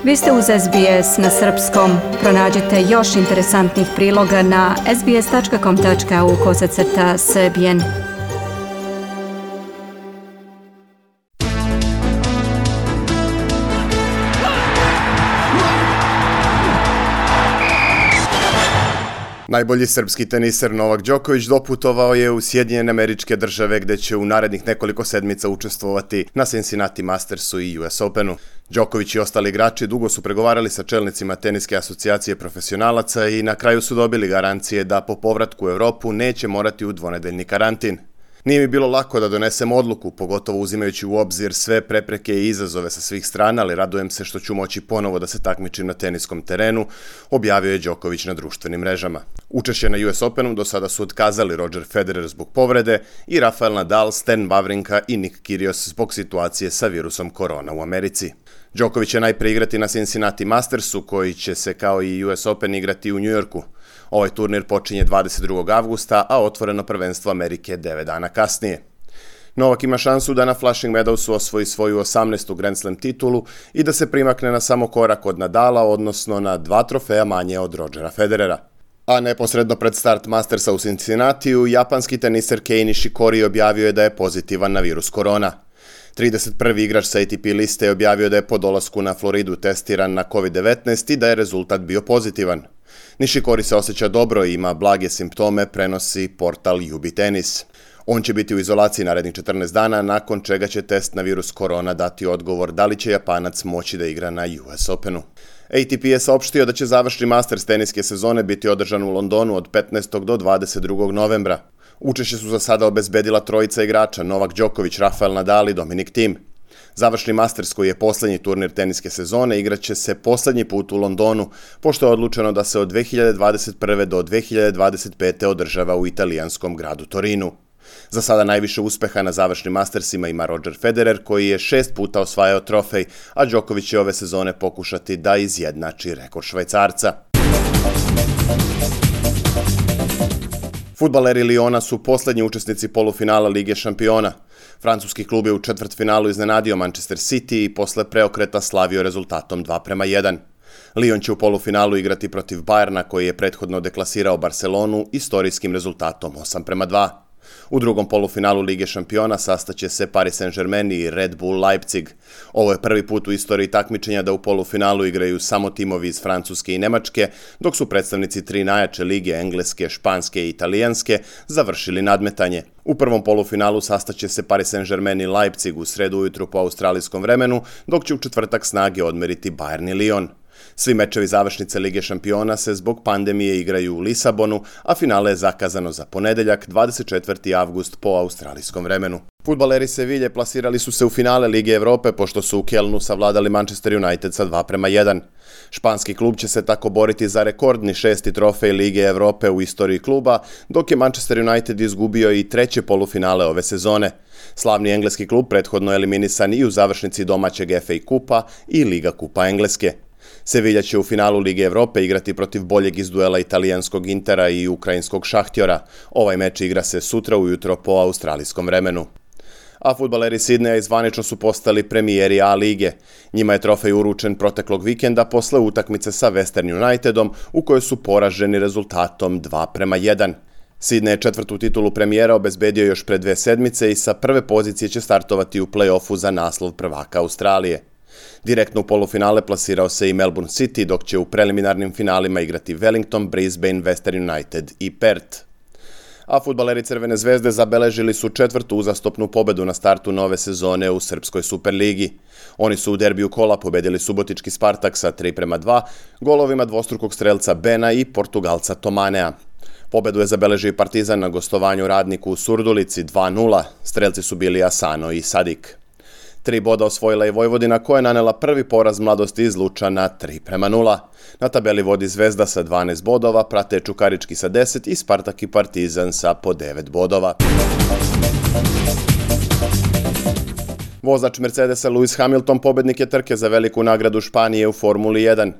Vi ste uz SBS na srpskom. Pronađite još interesantnih priloga na sbs.com.au/srbijen. Najbolji srpski teniser Novak Đoković doputovao je u Sjedinjene Američke Države gde će u narednih nekoliko sedmica učestvovati na Cincinnati Mastersu i US Openu. Đoković i ostali igrači dugo su pregovarali sa čelnicima Teniske asocijacije profesionalaca i na kraju su dobili garancije da po povratku u Evropu neće morati u dvonedeljni karantin. Nije mi bilo lako da donesem odluku, pogotovo uzimajući u obzir sve prepreke i izazove sa svih strana, ali radujem se što ću moći ponovo da se takmičim na teniskom terenu, objavio je Đoković na društvenim mrežama. Učešće na US Openu do sada su otkazali Roger Federer zbog povrede i Rafael Nadal, Stan Wawrinka i Nick Kyrgios zbog situacije sa virusom korona u Americi. Đoković će najpre igrati na Cincinnati Mastersu, koji će se kao i US Open igrati u Njujorku. Ovaj turnir počinje 22. avgusta, a otvoreno prvenstvo Amerike 9 dana kasnije. Novak ima šansu da na Flushing Meadowsu osvoji svoju 18. Grand Slam titulu i da se primakne na samo korak od Nadala, odnosno na 2 trofeja manje od Rogera Federera. A neposredno pred start Mastersa u Cincinnatiju, japanski teniser Kei Nishikori objavio je da je pozitivan na virus korona. 31. igrač sa ATP liste je objavio da je po dolasku na Floridu testiran na COVID-19 i da je rezultat bio pozitivan. Nishikori se osjeća dobro i ima blage simptome, prenosi portal UB Tennis. On će biti u izolaciji narednih 14 dana, nakon čega će test na virus korona dati odgovor da li će Japanac moći da igra na US Openu. ATP je saopštio da će završni Masters teniske sezone biti održan u Londonu od 15. do 22. novembra. Učešće su za sada obezbedila trojica igrača, Novak Đoković, Rafael Nadal i Dominic Thiem. Završni Masters, koji je poslednji turnir teniske sezone, igraće se poslednji put u Londonu, pošto je odlučeno da se od 2021. do 2025. održava u italijanskom gradu Torinu. Za sada najviše uspeha na završnim Mastersima ima Roger Federer, koji je 6 puta osvajao trofej, a Đoković će ove sezone pokušati da izjednači rekord Švajcarca. Fudbaleri Liona su poslednji učesnici polufinala Lige šampiona. Francuski klub je u četvrtfinalu iznenadio Manchester City i posle preokreta slavio rezultatom 2:1. Lyon će u polufinalu igrati protiv Bayerna, koji je prethodno deklasirao Barcelonu istorijskim rezultatom 8:2. U drugom polufinalu Lige šampiona sastaće se Paris Saint-Germain i Red Bull Leipzig. Ovo je prvi put u istoriji takmičenja da u polufinalu igraju samo timovi iz Francuske i Nemačke, dok su predstavnici 3 najjače lige, engleske, španske i italijanske, završili nadmetanje. U prvom polufinalu sastaće se Paris Saint-Germain i Leipzig u sredu ujutru po australijskom vremenu, dok će u četvrtak snage odmeriti Bayern i Lyon. Svi mečevi završnice Lige šampiona se zbog pandemije igraju u Lisabonu, a finale je zakazano za ponedeljak, 24. avgust po australijskom vremenu. Fudbaleri Sevilje plasirali su se u finale Lige Evrope, pošto su u Kelnu savladali Manchester United sa 2:1. Španski klub će se tako boriti za rekordni 6. trofej Lige Evrope u istoriji kluba, dok je Manchester United izgubio i 3. polufinale ove sezone. Slavni engleski klub prethodno eliminisan i u završnici domaćeg FA kupa i Liga kupa Engleske. Sevilja će u finalu Lige Evrope igrati protiv boljeg iz duela italijanskog Intera i ukrajinskog Šahtjora. Ovaj meč igra se sutra ujutro po australijskom vremenu. A fudbaleri Sidneja zvanično su postali premijeri A lige. Njima je trofej uručen proteklog vikenda posle utakmice sa Western Unitedom, u kojoj su poraženi rezultatom 2:1. Sidney je 4. titulu premijera obezbedio još pre 2 sedmice i sa prve pozicije će startovati u play-offu za naslov prvaka Australije. Direktno u polufinale plasirao se i Melbourne City, dok će u preliminarnim finalima igrati Wellington, Brisbane, Western United i Perth. A fudbaleri Crvene zvezde zabeležili su 4. uzastopnu pobedu na startu nove sezone u Srpskoj Superligi. Oni su u derbiju kola pobedili subotički Spartak sa 3:2, golovima dvostrukog strelca Bena i Portugalca Tomanea. Pobedu je zabeležio i Partizan na gostovanju Radniku u Surdulici 2:0, strelci su bili Asano i Sadik. 3 boda osvojila je Vojvodina, koja je nanela prvi poraz Mladosti iz Lučana 3:0. Na tabeli vodi Zvezda sa 12 bodova, prate Čukarički sa 10 i Spartak i Partizan sa po 9 bodova. Vozač Mercedesa Lewis Hamilton pobednik je trke za veliku nagradu Španije u Formuli 1.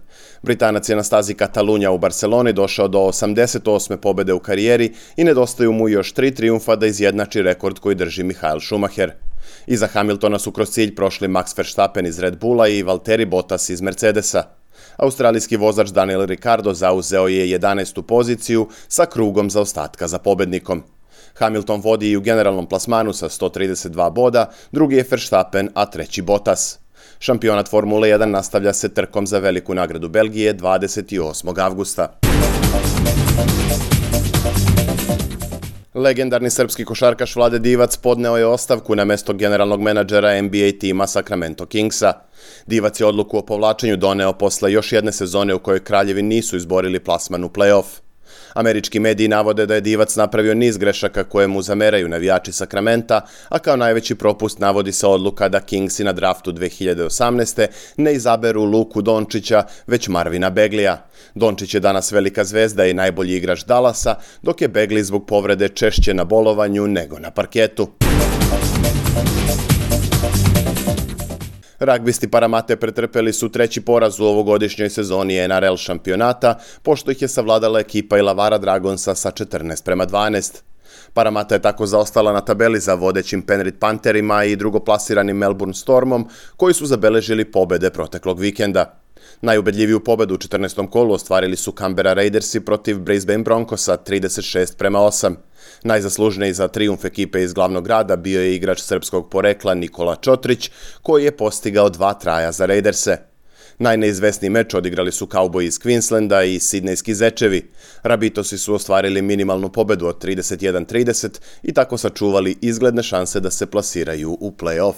Britanac je na stazi Katalunja u Barceloni došao do 88. pobede u karijeri i nedostaju mu još 3 trijumfa da izjednači rekord koji drži Michael Schumacher. Iza Hamiltona su kroz cilj prošli Max Verstappen iz Red Bulla i Valtteri Bottas iz Mercedesa. Australijski vozač Daniel Ricciardo zauzeo je 11. poziciju sa krugom zaostatka za pobednikom. Hamilton vodi i u generalnom plasmanu sa 132 boda, drugi je Verstappen, a treći Bottas. Šampionat Formule 1 nastavlja se trkom za veliku nagradu Belgije 28. avgusta. Legendarni srpski košarkaš Vlade Divac podneo je ostavku na mesto generalnog menadžera NBA tima Sacramento Kingsa. Divac je odluku o povlačenju doneo posle još jedne sezone u kojoj kraljevi nisu izborili plasman u play-off. Američki mediji navode da je Divac napravio niz grešaka koje mu zameraju navijači Sakramenta, a kao najveći propust navodi se odluka da Kingsi na draftu 2018. ne izaberu Luku Dončića, već Marvina Beglija. Dončić je danas velika zvezda i najbolji igrač Dallasa, dok je Begli zbog povrede češće na bolovanju nego na parketu. Ragbisti Paramate pretrpeli su treći poraz u ovogodišnjoj sezoni NRL šampionata, pošto ih je savladala ekipa Illawarra Dragonsa sa 14:12. Paramata je tako zaostala na tabeli za vodećim Penrith Pantherima i drugoplasiranim Melbourne Stormom, koji su zabeležili pobede proteklog vikenda. Najubedljiviju pobedu u 14. kolu ostvarili su Canberra Raidersi protiv Brisbane Broncosa 36:8. Najzaslužniji za trijumf ekipe iz glavnog grada bio je igrač srpskog porekla Nikola Čotrić, koji je postigao 2 traja za Raiderse. Najneizvesniji meč odigrali su Cowboyi iz Queenslanda i Sidnejski Zečevi. Rabitosi su ostvarili minimalnu pobedu od 31:30 i tako sačuvali izgledne šanse da se plasiraju u play-off.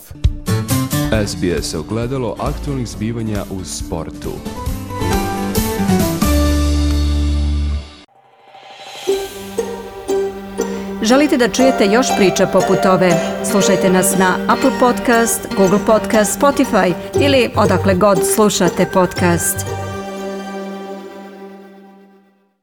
SBS ogledalo aktualnih zbivanja u sportu. Želite da čujete još priča poput ove? Slušajte nas na Apple Podcast, Google Podcast, Spotify ili odakle god slušate podcast.